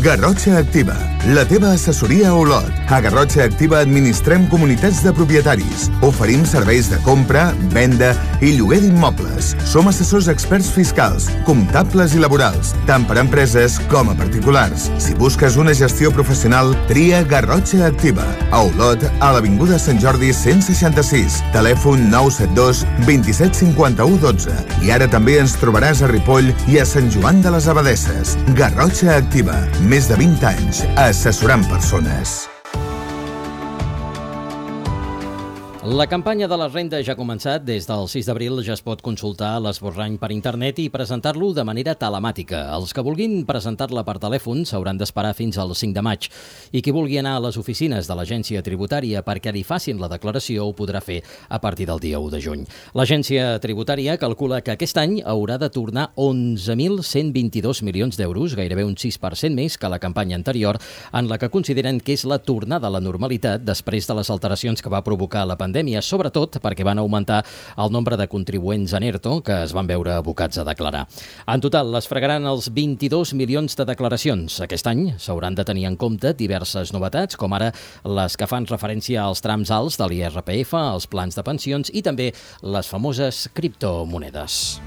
Garrotxa Activa, la teva assessoria a Olot. A Garrotxa Activa administrem comunitats de propietaris. Oferim serveis de compra, venda i lloguer d'immobles. Som assessors experts fiscals, comptables i laborals, tant per a empreses com a particulars. Si busques una gestió professional, tria Garrotxa Activa. A Olot, a l'Avinguda Sant Jordi 166, telèfon 972 27 51 12. I ara també ens trobaràs a Ripoll i a Sant Joan de les Abadesses. Garrotxa Activa. Més de 20 anys assessorant persones. La campanya de la renda ja ha començat. Des del 6 d'abril ja es pot consultar l'esborrany per internet i presentar-lo de manera telemàtica. Els que vulguin presentar-la per telèfon s'hauran d'esperar fins al 5 de maig. I qui vulgui anar a les oficines de l'Agència Tributària perquè li facin la declaració ho podrà fer a partir del dia 1 de juny. L'Agència Tributària calcula que aquest any haurà de tornar 11.122 milions d'euros, gairebé un 6% més que la campanya anterior, en la que consideren que és la tornada a la normalitat després de les alteracions que va provocar la pandèmia, sobretot perquè van augmentar el nombre de contribuents en ERTO que es van veure abocats a declarar. En total, es fregaran els 22 milions de declaracions. Aquest any s'hauran de tenir en compte diverses novetats, com ara les que fan referència als trams alts de l'IRPF, als plans de pensions i també les famoses criptomonedes.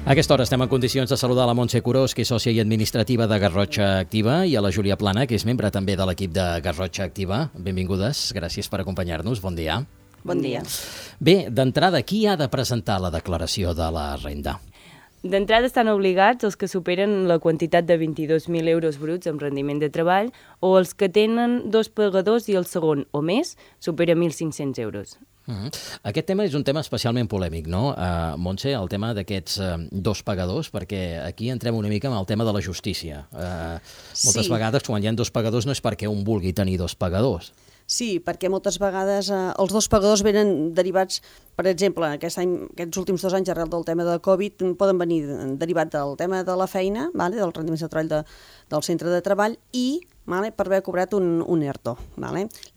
A aquesta hora estem en condicions de saludar la Montse Curós, que és sòcia i administrativa de Garrotxa Activa, i a la Júlia Plana, que és membre també de l'equip de Garrotxa Activa. Benvingudes, gràcies per acompanyar-nos. Bon dia. Bon dia. Bé, d'entrada, qui ha de presentar la declaració de la renda? D'entrada estan obligats els que superen la quantitat de 22.000 euros bruts amb rendiment de treball o els que tenen dos pagadors i el segon o més supera 1.500 euros. Aquest tema és un tema especialment polèmic, no, Montse, el tema d'aquests dos pagadors, perquè aquí entrem una mica amb el tema de la justícia. Moltes vegades, quan hi ha dos pagadors, no és perquè un vulgui tenir dos pagadors. Sí, perquè moltes vegades els dos pagadors venen derivats, per exemple, aquests últims 2 anys, arrel del tema de Covid, poden venir derivats del tema de la feina, del rendiment de treball del centre de treball i per haver cobrat un ERTO.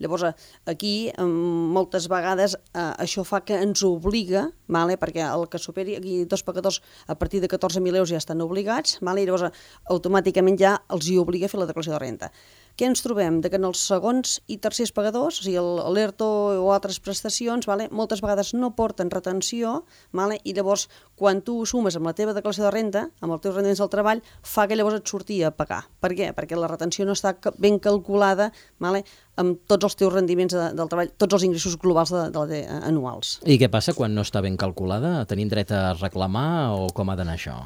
Llavors, aquí moltes vegades això fa que ens obliga, perquè el que superi aquí dos pagadors a partir de 14.000 euros ja estan obligats, i llavors automàticament ja els hi obliga a fer la declaració de renda. Què ens trobem? Que en els segons i tercers pagadors, o sigui, l'ERTO o altres prestacions, moltes vegades no porten retenció, i llavors, quan tu ho sumes amb la teva declaració de renda, amb els teus rendiments del treball, fa que llavors et surti a pagar. Per què? Perquè la retenció no està ben calculada amb tots els teus rendiments del treball, tots els ingressos globals anuals. I què passa quan no està ben calculada? Tenim dret a reclamar o com ha d'anar això?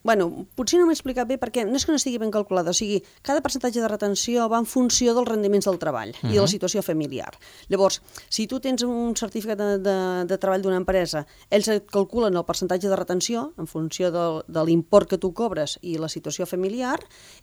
Potser no m'he explicat bé perquè no és que no estigui ben calculada, o sigui, cada percentatge de retenció va en funció dels rendiments del treball i de la situació familiar. Llavors, si tu tens un certificat de treball d'una empresa, ells et calculen el percentatge de retenció en funció de l'import que tu cobres i la situació familiar,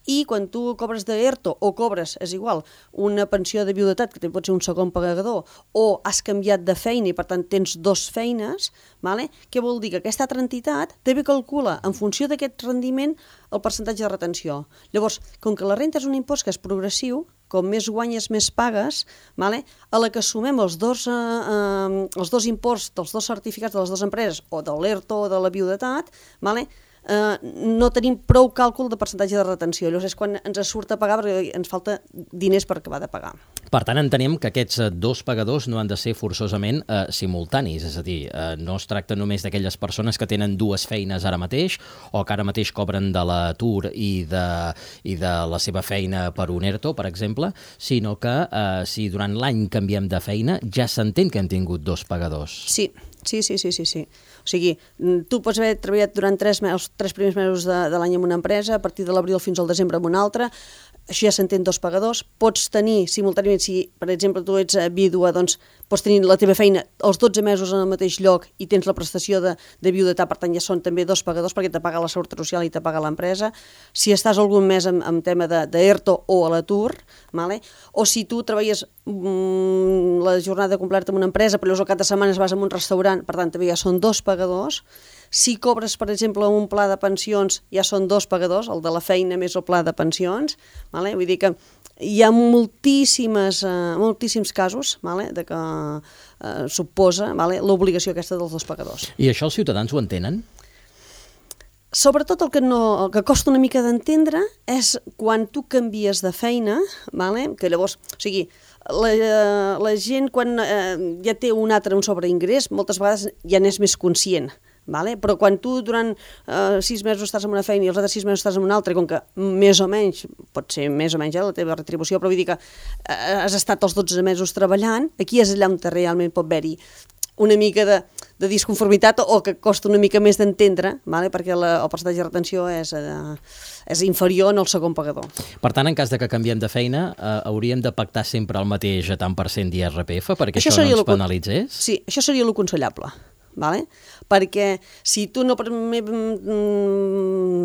i quan tu cobres d'ERTO o cobres, és igual, una pensió de viudetat, que pot ser un segon pagador, o has canviat de feina i per tant tens dos feines, què vol dir? Que aquesta altra entitat també calcula en funció d'aquest rendiment el percentatge de retenció. Llavors, com que la renta és un impost que és progressiu, com més guanyes, més pagues, a la que sumem els dos imports dels dos certificats de les dues empreses, o de l'ERTO o de la viudetat, no tenim prou càlcul de percentatge de retenció. Llavors és quan ens surt a pagar perquè ens falta diners per acabar de pagar. Per tant, entenem que aquests dos pagadors no han de ser forçosament simultanis, és a dir, no es tracta només d'aquelles persones que tenen dues feines ara mateix o que ara mateix cobren de l'atur i de la seva feina per un ERTO, per exemple, sinó que si durant l'any canviem de feina ja s'entén que hem tingut dos pagadors. Sí. O sigui, tu pots haver treballat durant els 3 primers mesos de l'any en una empresa, a partir de l'abril fins al desembre en una altra, això ja s'entén dos pagadors. Pots tenir simultàniament, si per exemple tu ets vídua, doncs pots tenir la teva feina els 12 mesos en el mateix lloc i tens la prestació de viudetat, per tant ja són també dos pagadors perquè te paga la Seguretat Social i te paga l'empresa. Si estàs algun mes en tema d'ERTO o a l'atur, o si tu treballes la jornada completa en una empresa però llavors al cap de setmana vas a un restaurant, per tant també ja són dos pagadors. Si cobres, per exemple, un pla de pensions, ja són dos pagadors, el de la feina més el pla de pensions. Vull dir que hi ha moltíssims casos de que suposa l'obligació aquesta dels dos pagadors. I això els ciutadans ho entenen? Sobretot el que costa una mica d'entendre és quan tu canvies de feina, que llavors, o sigui, la gent quan ja té un sobreingrés, moltes vegades ja n'és més conscient. Però quan tu durant 6 mesos estàs en una feina i els altres 6 mesos estàs en una altra, com que més o menys, pot ser més o menys la teva retribució, però vull dir que has estat els 12 mesos treballant, aquí és allà on realment pot haver-hi una mica de disconformitat o que costa una mica més d'entendre, perquè el percentatge de retenció és inferior en el segon pagador. Per tant, en cas de que canviem de feina, hauríem de pactar sempre el mateix tant per cent d'IRPF perquè això no ens penalitzés? Sí, això seria l'aconsellable. Perquè si tu no per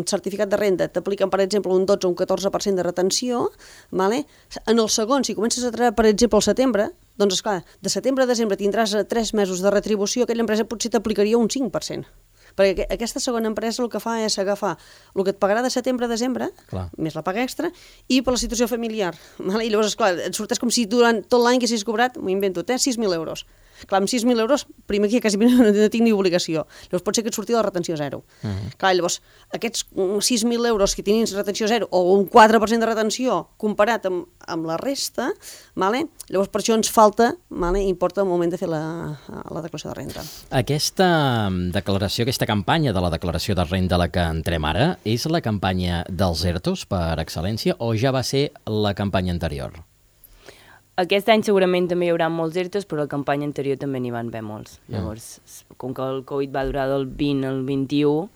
certificat de renda t'apliquen, per exemple, un 12 o un 14% de retenció, en el segon, si comences a treballar, per exemple, al setembre, doncs, esclar, de setembre a desembre tindràs 3 mesos de retribució, aquella empresa potser t'aplicaria un 5%. Perquè aquesta segona empresa el que fa és agafar el que et pagarà de setembre a desembre, més la paga extra, i per la situació familiar. I llavors, esclar, et sorteix com si durant tot l'any que haguessis cobrat, m'ho invento, 6.000 euros. Clar, amb 6.000 euros, primer que quasi no tinc ni obligació. Llavors pot ser que et surti la retenció zero. Clar, llavors, aquests 6.000 euros que tinguin retenció zero o un 4% de retenció comparat amb la resta, llavors per això ens falta, importa el moment de fer la declaració de renda. Aquesta declaració, aquesta campanya de la declaració de renda a la que entrem ara, és la campanya dels ERTOs per excel·lència o ja va ser la campanya anterior? Aquest any segurament també hi haurà molts ERTOs, però la campanya anterior també n'hi van haver molts. Llavors, com que el Covid va durar del 20 al 21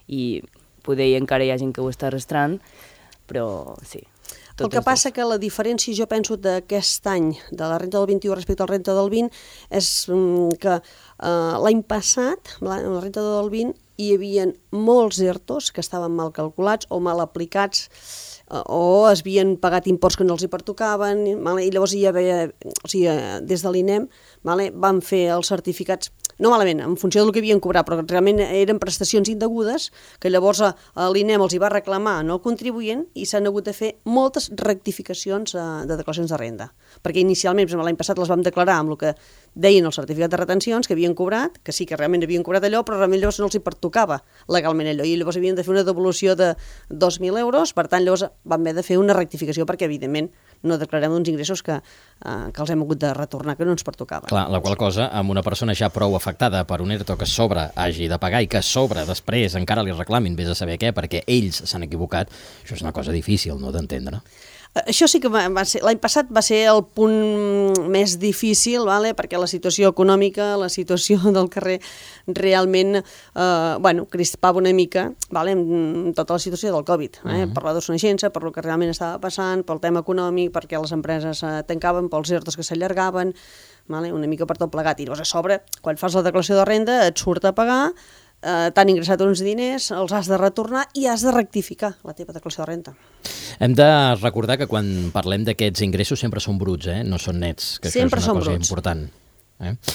i poder encara hi ha gent que ho està arrastrant, però sí. El que passa que la diferència, jo penso, d'aquest any, de la renta del 21 respecte a la renta del 20, és que l'any passat, la renta del 20, hi havia molts ERTOs que estaven mal calculats o mal aplicats o es havien pagat imports que no els hi pertocaven, i llavors hi havia, o sigui, des de l'INEM van fer els certificats, no malament, en funció del que havien cobrat, però realment eren prestacions indegudes, que llavors l'INEM els hi va reclamar no contribuent i s'han hagut de fer moltes rectificacions de declaracions de renda. Perquè inicialment, l'any passat les vam declarar amb el que deien el certificat de retencions, que havien cobrat, que sí que realment havien cobrat allò, però realment llavors no els hi pertocava legalment allò, i llavors havien de fer una devolució de 2.000 euros, per tant llavors vam haver de fer una rectificació perquè evidentment no declarem uns ingressos que els hem hagut de retornar, que no ens pertocaven. Clar, la qual cosa, amb una persona ja prou afectada per un ERTO que a sobre hagi de pagar i que a sobre després encara li reclamin vés a saber què, perquè ells s'han equivocat, això és una cosa difícil, no, d'entendre. Això sí que va ser, l'any passat va ser el punt més difícil, perquè la situació econòmica, la situació del carrer realment crispava una mica amb tota la situació del Covid, per la desconeixença, per el que realment estava passant, pel tema econòmic, perquè les empreses tancaven, pels ERTOs que s'allargaven, una mica per tot plegat. I llavors a sobre, quan fas la declaració de renda, et surt a pagar, t'han ingressat uns diners, els has de retornar i has de rectificar la teva declaració de renda. Hem de recordar que quan parlem d'aquests ingressos sempre són bruts, no són nets, que sempre això és una cosa bruts. important.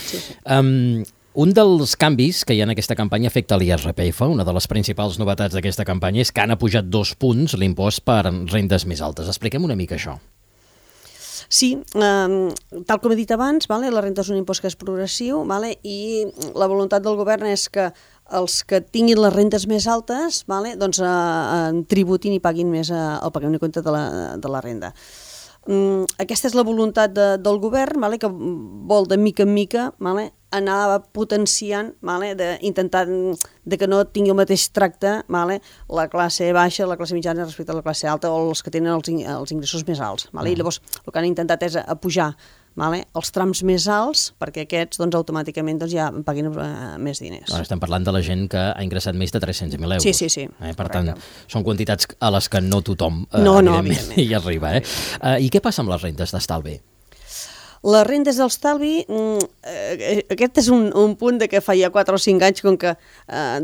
Sí. Un dels canvis que hi ha en aquesta campanya afecta l'IRPF. Una de les principals novetats d'aquesta campanya és que han apujat 2 punts l'impost per rendes més altes. Expliquem una mica això. Sí, tal com he dit abans, la renta és un impost que és progressiu i la voluntat del govern és que els que tinguin les rendes més altes tributin i paguin més el pagament de compte de la renda. Aquesta és la voluntat del govern, que vol de mica en mica anar potenciant, d'intentar que no tingui el mateix tracte la classe baixa, la classe mitjana respecte a la classe alta o els que tenen els ingressos més alts. I llavors el que han intentat és apujar els trams més alts perquè aquests automàticament ja paguin més diners. Estem parlant de la gent que ha ingressat més de 300.000 euros. Sí. Per tant, són quantitats a les que no tothom evidentment hi arriba. I què passa amb les rendes d'estalvi? Les rendes d'estalvi, aquest és un punt que fa ja 4 o 5 anys com que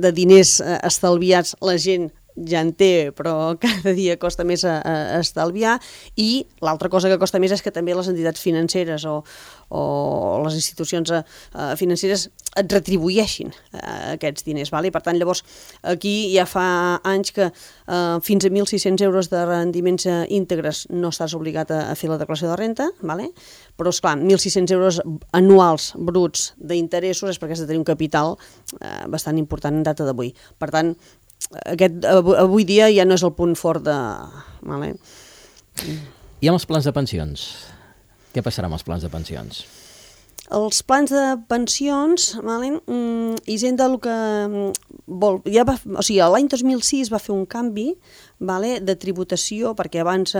de diners estalviats la gent ja en té, però cada dia costa més estalviar, i l'altra cosa que costa més és que també les entitats financeres o les institucions financeres et retribueixin aquests diners. Per tant, llavors, aquí ja fa anys que fins a 1.600 euros de rendiments íntegres no estàs obligat a fer la declaració de renta, però, esclar, 1.600 euros anuals bruts d'interessos és perquè has de tenir un capital bastant important en data d'avui. Per tant, avui dia ja no és el punt fort de... Vale? I amb els plans de pensions? Què passarà amb els plans de pensions? Els plans de pensions, vale? Hisenda el que vol... l'any 2006 va fer un canvi, vale, de tributació, perquè abans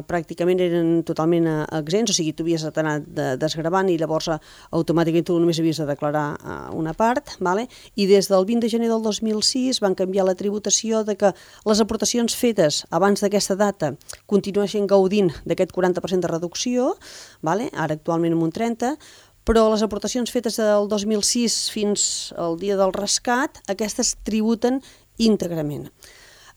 pràcticament eren totalment exempts, o sigui, tu havies d'anar desgravant i llavors automàticament tu només havies de declarar una part, vale? I des del 20 de gener del 2006 van canviar la tributació de que les aportacions fetes abans d'aquesta data continuessin gaudint d'aquest 40% de reducció, vale? Ara actualment amb un 30%, però les aportacions fetes del 2006 fins al dia del rescat, aquestes tributen íntegrament.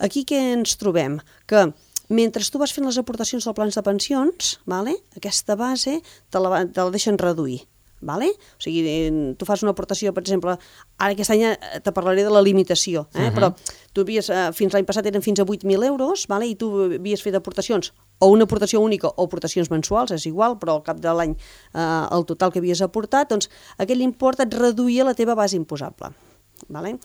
Aquí què ens trobem? Que mentre tu vas fent les aportacions als plans de pensions, vale, aquesta base te la deixen reduir. Vale? O sigui, tu fas una aportació, per exemple, ara aquest any te parlaré de la limitació, però tu havies, fins l'any passat eren fins a 8.000 euros, vale? I tu havies fet aportacions, o una aportació única o aportacions mensuals, és igual, però al cap de l'any el total que havies aportat, doncs aquell import et reduïa la teva base imposable. Vale?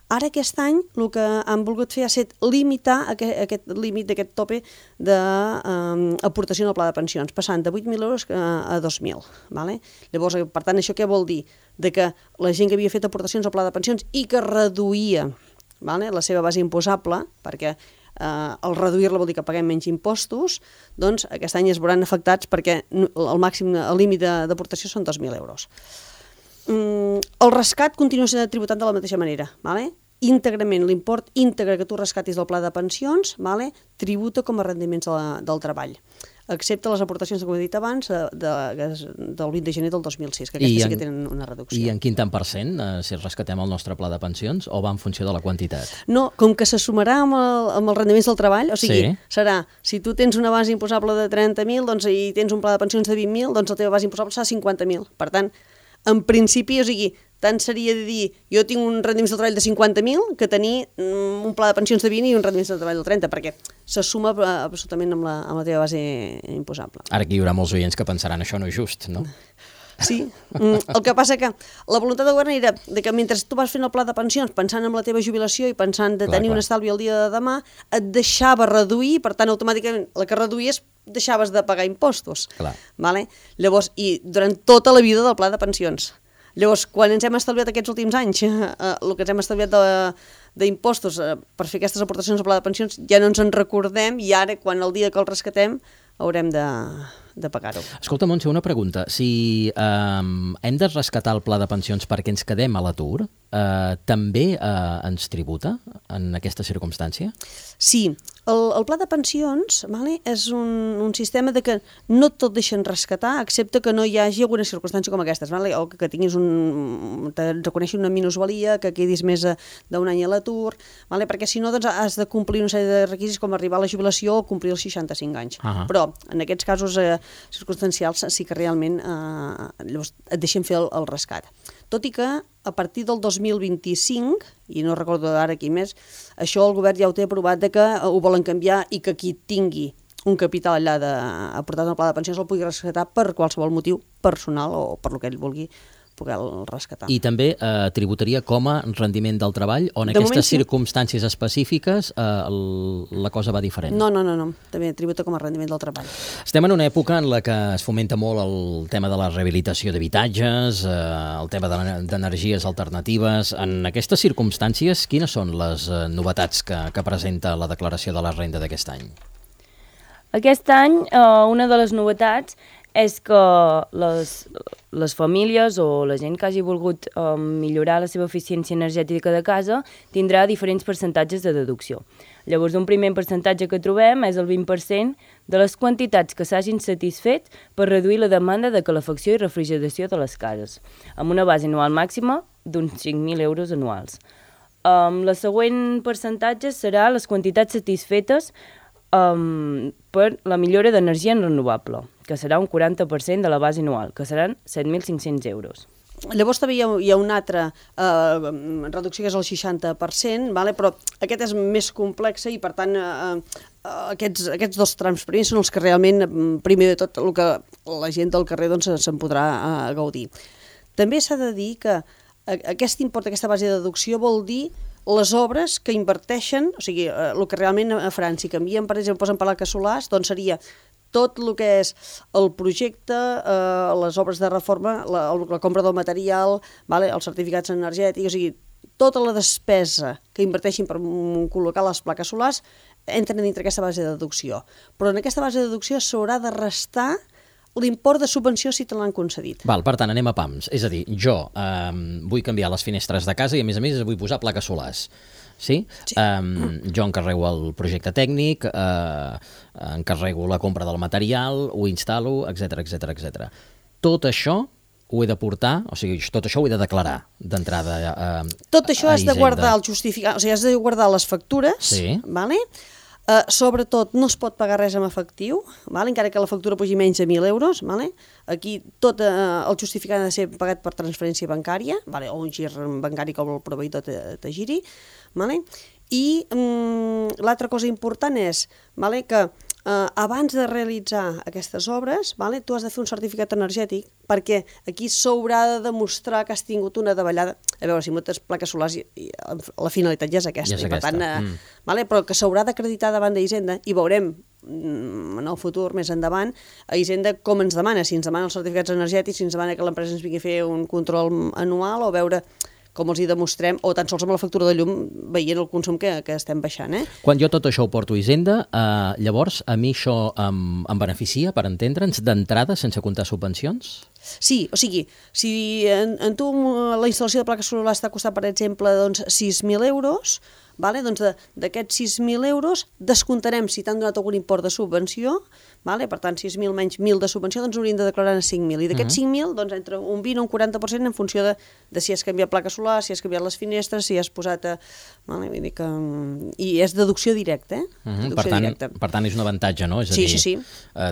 Ara aquest any el que han volgut fer ha estat limitar aquest límit d'aquest tope d'aportació al pla de pensions, passant de 8.000 euros a 2.000. Vale? Llavors, per tant, això què vol dir? De que la gent que havia fet aportacions al pla de pensions i que reduïa, vale, la seva base imposable, perquè al reduir-la vol dir que paguem menys impostos, doncs aquest any es veuran afectats perquè el límit d'aportació són 2.000 euros. El rescat continua sent tributat de la mateixa manera, vale? Íntegrament, l'import íntegre que tu rescatis del pla de pensions, vale, tributa com a rendiments del treball, excepte les aportacions, com he dit abans, del 20 de gener del 2006, que aquestes sí que tenen una reducció. I en quin tant per cent, si rescatem el nostre pla de pensions, o va en funció de la quantitat? No, com que se sumarà amb els rendiments del treball, o sigui, serà, si tu tens una base imposable de 30.000 doncs, i tens un pla de pensions de 20.000, doncs la teva base imposable serà 50.000. Per tant, en principi, o sigui, tant seria de dir jo tinc un rendiments del treball de 50.000 que tenir un pla de pensions de 20 i un rendiments del treball del 30, perquè se suma absolutament amb la teva base imposable. Ara aquí hi haurà molts oients que pensaran això no és just, no? Sí, el que passa que la voluntat del govern era que mentre tu vas fent el pla de pensions pensant en la teva jubilació i pensant de tenir un estalvi el dia de demà, et deixava reduir, per tant automàticament la que reduïes deixaves de pagar impostos. Vale? Llavors, i durant tota la vida del pla de pensions. Llavors, quan ens hem estalviat aquests últims anys, el que ens hem estalviat d'impostos per fer aquestes aportacions al pla de pensions, ja no ens en recordem i ara, quan el dia que el rescatem, haurem de pagar-ho. Escolta, Montse, una pregunta. Si hem de rescatar el pla de pensions perquè ens quedem a l'atur, també ens tributa en aquesta circumstància? Sí. El pla de pensions, vale, és un sistema de que no tot deixen rescatar, excepte que no hi hagi alguna circumstància com aquestes, vale? O que tinguis te reconeixi una minusvalia, que quedis més d'un any a l'atur, vale? Perquè si no doncs, has de complir una sèrie de requisits com arribar a la jubilació o complir els 65 anys. Però en aquests casos circumstancials sí que realment llavors et deixen fer el rescat. Tot i que a partir del 2025, i no recordo ara aquí més, això el govern ja ho té aprovat de que ho volen canviar i que qui tingui un capital allà aportat al pla de pensions el pugui rescatar per qualsevol motiu personal o per lo que ell vulgui poder-lo rescatar. I també tributaria com a rendiment del treball o en aquestes circumstàncies específiques la cosa va diferent? No, també tributa com a rendiment del treball. Estem en una època en la que es fomenta molt el tema de la rehabilitació d'habitatges, el tema d'energies alternatives. En aquestes circumstàncies, quines són les novetats que presenta la declaració de la renda d'aquest any? Aquest any, una de les novetats és que les famílies o la gent que hagi volgut millorar la seva eficiència energètica de casa tindrà diferents percentatges de deducció. Llavors, un primer percentatge que trobem és el 20% de les quantitats que s'hagin satisfet per reduir la demanda de calefacció i refrigeració de les cases, amb una base anual màxima d'uns 5.000 euros anuals. La següent percentatge serà les quantitats satisfetes per la millora d'energia renovable, que serà un 40% de la base anual, que seran 7.500 euros. Llavors també hi ha una altra reducció que és el 60%, vale? Però aquest és més complex i per tant aquests dos trams primers són els que realment, primer de tot, el que la gent del carrer doncs, se'n podrà gaudir. També s'ha de dir que aquest import, aquesta base de deducció vol dir les obres que inverteixen, o sigui, el que realment faran, si canvien, per exemple, posen plaques solars, doncs seria tot el que és el projecte, les obres de reforma, la compra del material, els certificats energètics, o sigui, tota la despesa que inverteixin per col·locar les plaques solars entren dintre aquesta base de deducció. Però en aquesta base de deducció s'haurà de restar l'import de subvenció si te l'han concedit. Val, per tant, anem a pams. És a dir, jo vull canviar les finestres de casa i, a més, vull posar plaques solars. Sí? Jo encarrego el projecte tècnic, encarrego la compra del material, ho instal·lo, etc. Tot això ho he de portar, o sigui, tot això ho he de declarar d'entrada a Hisenda. Tot això has de guardar el justificat, o sigui, has de guardar les factures, vale? Sobretot no es pot pagar res en efectiu, vale? Encara que la factura pugi menys de 1.000 euros, vale? Aquí tot el justificat ha de ser pagat per transferència bancària, vale? O un gir bancari com el proveïdor te giri, vale? I l'altra cosa important és, vale, que abans de realitzar aquestes obres, vale, tu has de fer un certificat energètic perquè aquí s'haurà de demostrar que has tingut una davallada. A veure, si moltes plaques solars, la finalitat ja és aquesta. I per tant, vale, però que s'haurà d'acreditar davant d'Hisenda i veurem en el futur, més endavant, a Hisenda com ens demana, si ens demana els certificats energètics, si ens demana que l'empresa ens vingui a fer un control anual o veure com els hi demostrem, o tan sols amb la factura de llum veient el consum que estem baixant. Quan jo tot això ho porto a Hisenda, llavors a mi això em beneficia, per entendre'ns, d'entrada, sense comptar subvencions? Sí, o sigui, si en tu la instal·lació de plaques solars t'ha costat, per exemple, 6.000 euros, doncs d'aquests 6.000 euros descomptarem si t'han donat algun import de subvenció, per tant 6.000 menys 1.000 de subvenció, doncs hauríem de declarar 5.000, i d'aquests 5.000 doncs entre un 20 o un 40% en funció de si has canviat plaques solars, si has canviat les finestres, si has posat... I és deducció directa, Per tant és un avantatge, no? És a dir, sí.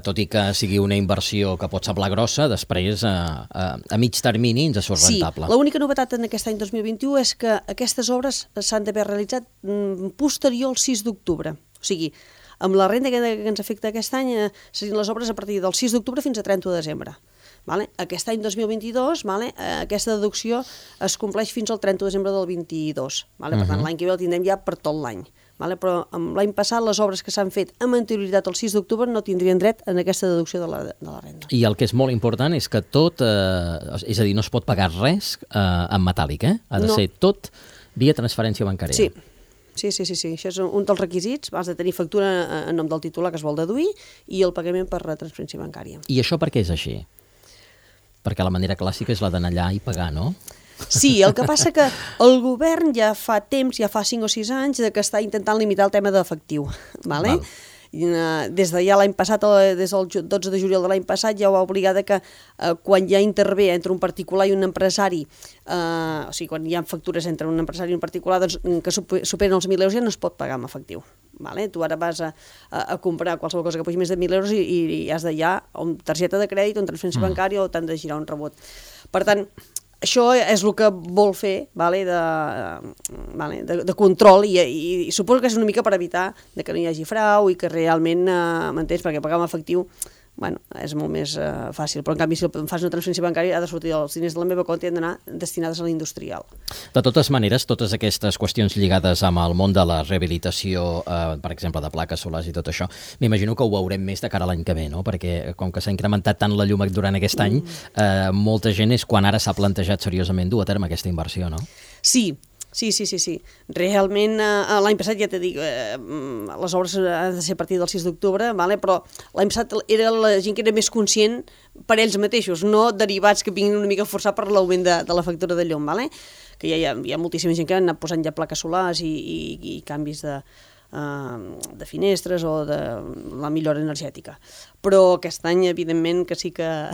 Tot i que sigui una inversió que pot semblar grossa, després a mig termini ens surt rentable. Sí, l'única novetat en aquest any 2021 és que aquestes obres s'han d'haver realitzat posterior al 6 d'octubre. O sigui, amb la renda que ens afecta aquest any serien les obres a partir del 6 d'octubre fins a 30 de desembre. Aquest any 2022 aquesta deducció es compleix fins al 30 de desembre del 22. Per tant, l'any que ve el tindrem ja per tot l'any. Però l'any passat les obres que s'han fet amb anterioritat al 6 d'octubre no tindrien dret en aquesta deducció de la renda. I el que és molt important és que tot, és a dir, no es pot pagar res en metàl·lic, ha de ser tot via transferència bancària. Sí. Sí, això és un dels requisits, has de tenir factura en nom del titular que es vol deduir i el pagament per transferència bancària. I això per què és així? Perquè la manera clàssica és la d'anar allà i pagar, no? Sí, el que passa que el govern ja fa temps, ja fa 5 o 6 anys, que està intentant limitar el tema d'efectiu. Des de ja l'any passat, des del 12 de juliol de l'any passat, ja ho va obligar que quan ja intervé entre un particular i un empresari, o sigui, quan hi ha factures entre un empresari i un particular que superen els 1.000 euros ja no es pot pagar en efectiu. Tu ara vas a comprar qualsevol cosa que pugi més de 1.000 euros i has de ja o amb targeta de crèdit o amb transferència bancària o t'han de girar un rebot. Per tant, això és el que vol fer de control i suposo que és una mica per evitar que no hi hagi frau i que realment, m'entens, perquè pagar amb efectiu és molt més fàcil, però en canvi si fas una transferència bancària ha de sortir els diners de la meva compte i han d'anar destinades a l'industrial. De totes maneres, totes aquestes qüestions lligades amb el món de la rehabilitació, per exemple, de plaques solars i tot això, m'imagino que ho veurem més de cara a l'any que ve, no? Perquè com que s'ha incrementat tant la llum durant aquest any, molta gent és quan ara s'ha plantejat seriosament dur a terme aquesta inversió, no? Sí. Realment, l'any passat, ja t'he dit, les obres han de ser a partir del 6 d'octubre, però l'any passat era la gent que era més conscient per ells mateixos, no derivats que vinguin una mica a forçar per l'augment de la factura de llum, que hi ha moltíssima gent que han anat posant ja plaques solars i canvis de finestres o de la millora energètica. Però aquest any, evidentment, que sí que...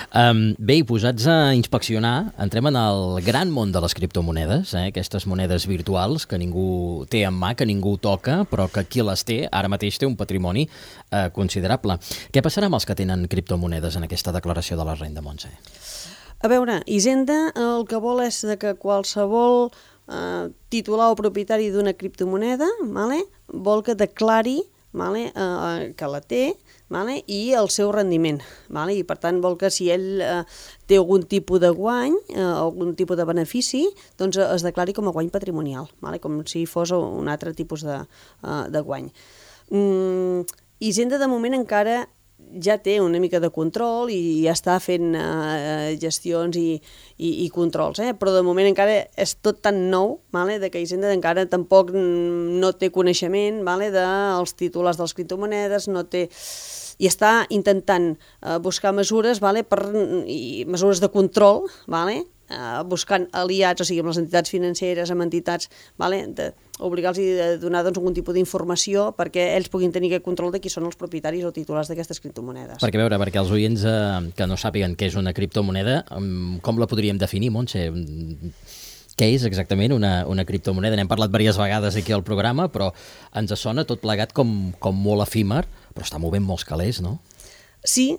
Bé, i posats a inspeccionar, entrem en el gran món de les criptomonedes, aquestes monedes virtuals que ningú té en mà, que ningú toca, però que qui les té ara mateix té un patrimoni considerable. Què passarà amb els que tenen criptomonedes en aquesta declaració de la renda, Montse? A veure, Hisenda el que vol és que qualsevol titular o propietari d'una criptomoneda vol que declari que la té, i el seu rendiment. I per tant vol que si ell té algun tipus de guany, algun tipus de benefici, doncs es declari com a guany patrimonial, com si fos un altre tipus de guany. Hisenda de moment encara ja té una mica de control i ja està fent gestions i controls, però de moment encara és tot tan nou que Hisenda encara tampoc no té coneixement dels titulars dels criptomonedes, no té... i està intentant buscar mesures, mesures de control, buscant aliats, o sigui, amb les entitats financeres, amb entitats, obligar-los a donar algun tipus d'informació perquè ells puguin tenir aquest control de qui són els propietaris o titulars d'aquestes criptomonedes. Perquè els oients que no sàpiguen què és una criptomoneda, com la podríem definir, Montse? Què és exactament una criptomoneda? N'hem parlat diverses vegades aquí al programa, però ens sona tot plegat com molt efímer, però està movent molts calés, no? Sí.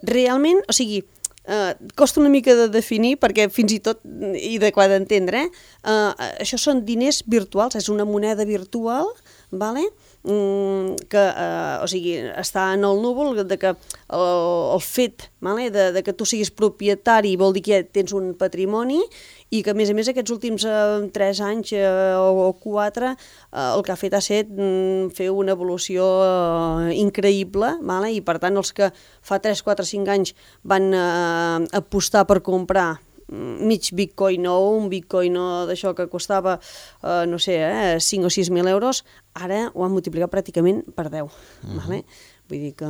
Realment, o sigui, costa una mica de definir perquè fins i tot, i d'adequar d'entendre, això són diners virtuals, és una moneda virtual, que o sigui, està en el núvol, de que el fet de que tu siguis propietari vol dir que tens un patrimoni i que, a més aquests últims 3 anys o 4 el que ha fet ha set fer una evolució increïble, i per tant els que fa 3, 4, 5 anys van apostar per comprar mig bitcoin o un bitcoin d'això que costava, no sé, 5 o 6.000 euros, ara ho han multiplicat pràcticament per 10. Vull dir que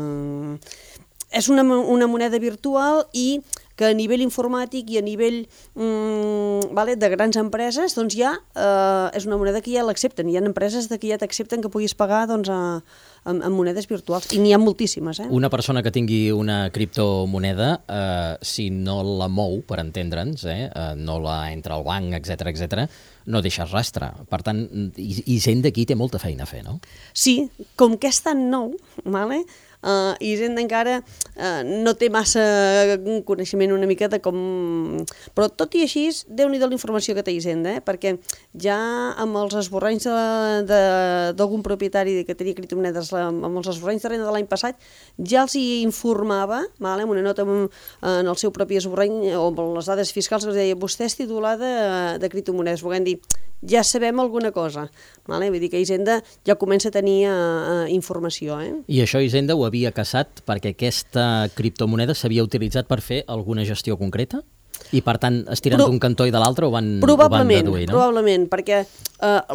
és una moneda virtual i que a nivell informàtic i a nivell de grans empreses doncs ja és una moneda que ja l'accepten. Hi ha empreses que ja t'accepten que puguis pagar amb monedes virtuals, i n'hi ha moltíssimes. Una persona que tingui una criptomoneda, si no la mou, per entendre'ns, no la entra al banc, etc, no deixa rastre. Per tant, Hisenda aquí té molta feina a fer, no? Sí, com que és tan nou, Hisenda encara no té massa coneixement una mica de com... Però tot i així, Déu-n'hi-do la informació que té Hisenda, perquè ja amb els esborranys d'algun propietari que tenia criptomonedes, amb els esborranys de renda de l'any passat, ja els hi informava, amb una nota en el seu propi esborrany, o amb les dades fiscals, que els deia, vostè és titular de criptomonedes, volent dir, ja sabem alguna cosa. Vull dir que Hisenda ja comença a tenir informació. I això Hisenda ho havia caçat perquè aquesta criptomoneda s'havia utilitzat per fer alguna gestió concreta? I per tant, estirant d'un cantó i de l'altre ho van deduir, no? Probablement, perquè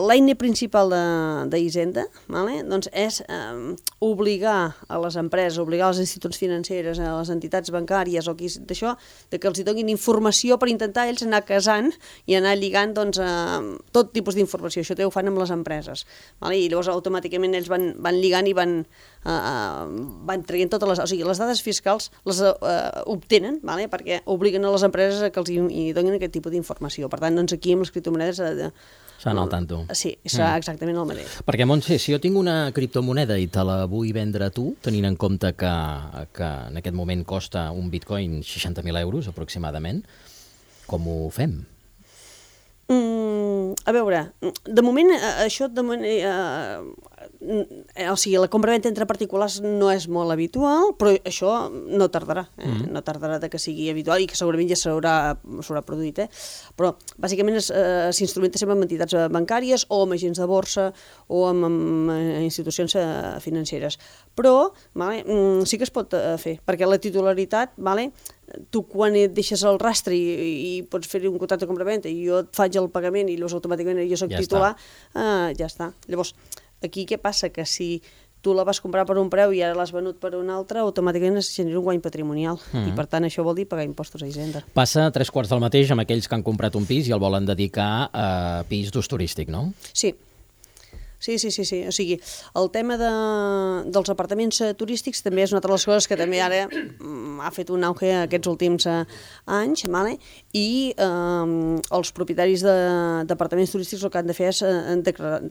l'eina principal d'Hisenda és obligar a les empreses, obligar a les institucions financeres, a les entitats bancàries o qui d'això, que els donin informació per intentar ells anar casant i anar lligant tot tipus d'informació. Això ho fan amb les empreses. I llavors automàticament ells van lligant i van traient totes les... O sigui, les dades fiscals les obtenen perquè obliguen a les empreses que els hi donin aquest tipus d'informació. Per tant, doncs aquí amb les criptomonedes... Estan al tanto. Sí, serà exactament el mateix. Perquè, Montse, si jo tinc una criptomoneda i te la vull vendre a tu, tenint en compte que en aquest moment costa un bitcoin 60.000 euros aproximadament, com ho fem? A veure, de moment, això o sigui, la compra-venta entre particulars no és molt habitual, però això no tardarà, no tardarà que sigui habitual i que segurament ja s'haurà produït, però bàsicament s'instrumenta sempre amb entitats bancàries o amb agents de borsa o amb institucions financeres, però sí que es pot fer, perquè la titularitat, tu quan et deixes el rastre i pots fer un contracte de compra-venta i jo et faig el pagament i llavors automàticament jo soc titular, ja està. Llavors, aquí què passa? Que si tu la vas comprar per un preu i ara l'has venut per un altre, automàticament es genera un guany patrimonial i per tant això vol dir pagar impostos a Hisenda. Passa 3/4 del mateix amb aquells que han comprat un pis i el volen dedicar a pis d'ús turístic, no? Sí. Sí. O sigui, el tema dels apartaments turístics també és una altra de les coses que també ara ha fet un auge aquests últims anys, i els propietaris d'apartaments turístics el que han de fer és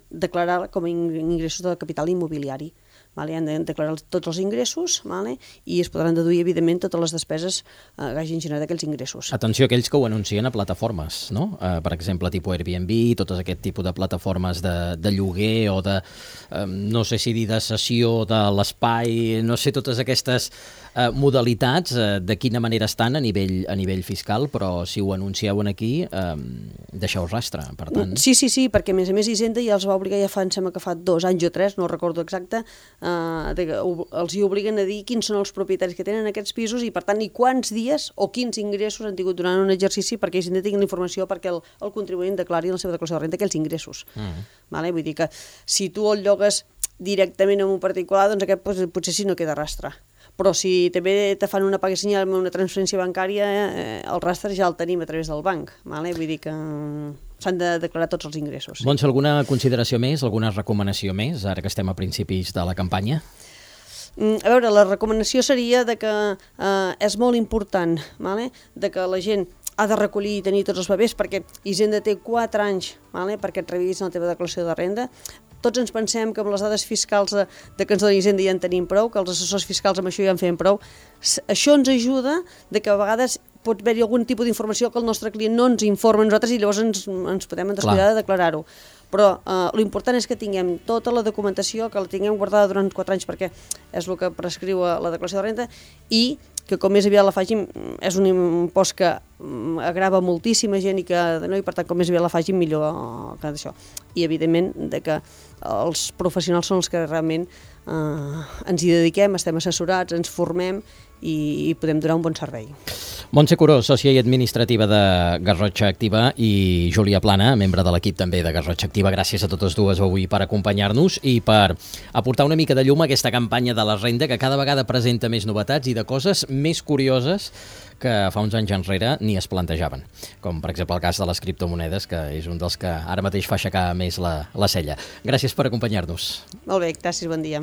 declarar com a ingressos de capital immobiliari. vale? Han de declarar tots els ingressos, vale? I es podran deduir, evidentment, totes les despeses que hagin generat aquells ingressos. Atenció a aquells que ho anuncien a plataformes, no? Per exemple, tipus Airbnb, tot aquest tipus de plataformes de lloguer o de, no sé si dir de cessió de l'espai, no sé, totes aquestes modalitats, de quina manera estan a nivell fiscal, però si ho anuncieu aquí, deixeu rastre, per tant. Sí, perquè a més Hisenda ja els va obligar, ja sembla que fa 2 anys o 3, no recordo exacte, els hi obliguen a dir quins són els propietaris que tenen aquests pisos i per tant i quants dies o quins ingressos han tingut durant un exercici perquè Hisenda tingui la informació perquè el contribuent declari en la seva declaració de renda aquells ingressos. Vale? Vull dir que si tu el llogues directament a un particular, doncs aquest potser sí no queda rastre. Però si també te fan una paga senyal amb una transferència bancària, el rastre ja el tenim a través del banc. Vale? Vull dir que s'han de declarar tots els ingressos. Montse, alguna consideració més, alguna recomanació més, ara que estem a principis de la campanya? A veure, la recomanació seria de que és molt important, vale? De que la gent ha de recollir i tenir tots els papers perquè Hisenda té 4 anys, vale? Perquè et revisin la teva declaració de renda. Tots ens pensem que amb les dades fiscals de que ens dona Hisenda ja en tenim prou, que els assessors fiscals amb això ja en feien prou. Això ens ajuda de que a vegades pot haver-hi algun tipus d'informació que el nostre client no ens informa a nosaltres i llavors ens podem descuidar de declarar-ho. Però l'important és que tinguem tota la documentació, que la tinguem guardada durant 4 anys perquè és el que prescriu la declaració de renda i que com més aviat la facin, és un impost que agrava moltíssima gent i per tant com més aviat la facin millor que això. I evidentment que els professionals són els que realment ens hi dediquem, estem assessorats, ens formem i podem donar un bon servei. Montse Curó, sòcia i administrativa de Garrotxa Activa, i Júlia Plana, membre de l'equip també de Garrotxa Activa. Gràcies a totes dues avui per acompanyar-nos i per aportar una mica de llum a aquesta campanya de la renda que cada vegada presenta més novetats i de coses més curioses que fa uns anys enrere ni es plantejaven, com per exemple el cas de les criptomonedes, que és un dels que ara mateix fa aixecar més la cella. Gràcies per acompanyar-nos. Molt bé, gràcies, bon dia.